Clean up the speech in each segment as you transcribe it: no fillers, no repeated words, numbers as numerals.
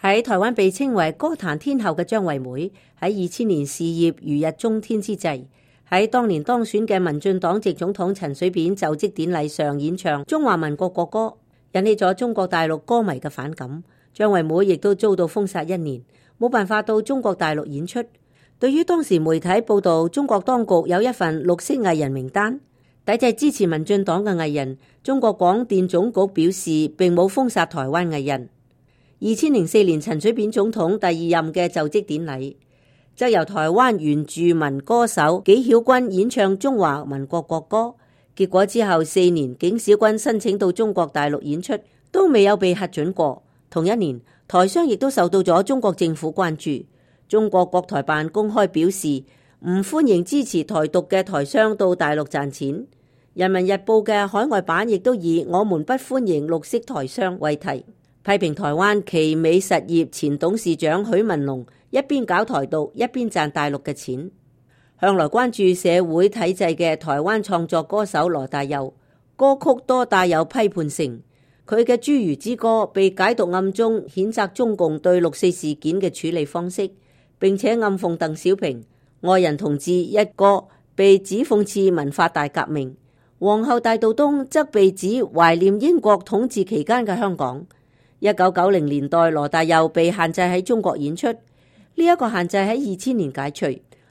喺台灣被稱為歌壇天后嘅張惠妹，喺2000年事業如日中天之際，喺當年當選嘅民進黨籍總統陳水扁就職典禮上演唱中華民國國歌，引起咗中國大陸歌迷嘅反感。張惠妹亦都遭到封殺1年，冇辦法到中國大陸演出。對於當時媒體報道中國當局有一份綠色藝人名單，抵制支持民進黨嘅藝人，中國廣電總局表示並冇封殺台灣藝人。2004年陳水扁總統第2任嘅就職典禮，則由台灣原住民歌手紀曉君演唱中華民國國歌。結果之後4年，紀曉君申請到中國大陸演出，都未有被核准過。同一年，台商亦都受到咗中國政府關注。中國國台辦公開表示唔歡迎支持台獨嘅台商到大陸賺錢。人民日報嘅海外版亦都以我們不歡迎綠色台商為題，批評台灣奇美實業前董事長許文龍一邊搞台獨，一邊賺大陸嘅錢。向來關注社會體制嘅台灣創作歌手羅大佑，歌曲多帶有批判性。佢嘅《侏儒之歌》被解讀暗中譴責中共對6.4事件嘅處理方式，並且暗諷鄧小平。愛人同志一歌被指諷刺文化大革命。皇后大道東則被指懷念英國統治期間嘅香港。1990年代，羅大佑被限制喺中國演出，呢一個限制喺2000年解除。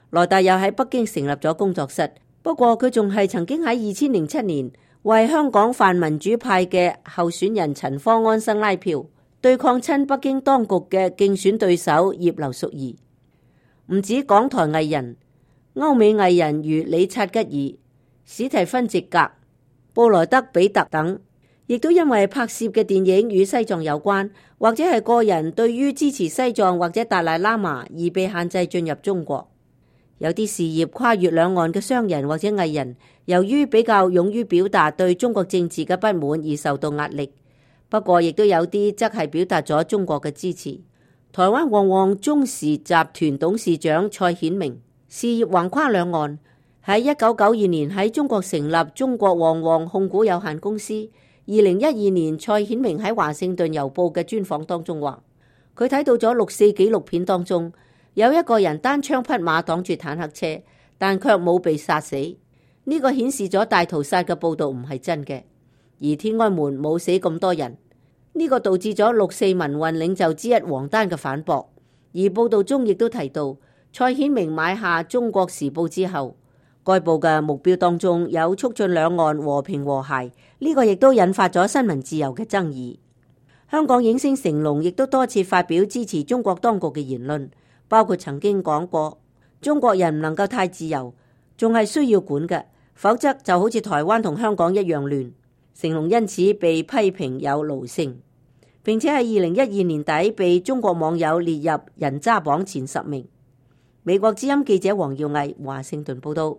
羅大佑喺北京成立咗工作室，不過佢仲係曾經喺2007年為香港泛民主派嘅候選人陳方安生拉票，對抗親北京當局嘅競選對手葉劉淑儀。唔止港台藝人，歐美藝人如理察吉爾、史提芬席格、布萊德比特等，亦都因為拍攝嘅電影與西藏有關，或者係個人對於支持西藏或者達賴喇嘛而被限制進入中國。有啲事業跨越兩岸嘅商人或者藝人，由於比較勇於表達對中國政治嘅不滿而受到壓力。不過亦都有啲則係表達咗中國嘅支持。台灣旺旺中時集團董事長蔡顯明事業橫跨兩岸，喺1992年喺中國成立中國旺旺控股有限公司。2012年，蔡顯明喺華盛頓郵報嘅專訪當中話，佢睇到咗6.4紀錄片當中有一個人單槍匹馬擋住坦克車，但卻冇被殺死。呢個顯示咗大屠殺嘅報道唔係真嘅，而天安門冇死咁多人。呢個導致咗6.4民運領袖之一王丹嘅反駁。而報道中亦都提到，蔡顯明買下中國時報之後，該報嘅目標當中有促進兩岸和平和諧，呢個亦都引發咗新聞自由嘅爭議。香港影星成龍亦都多次發表支持中國當局嘅言論，包括曾經講過中國人唔能夠太自由，仲係需要管嘅，否則就好似台灣同香港一樣亂。成龍因此被批評有奴性，並且喺2012年底被中國網友列入人渣榜前10名。美國之音記者黃耀毅華盛頓報道。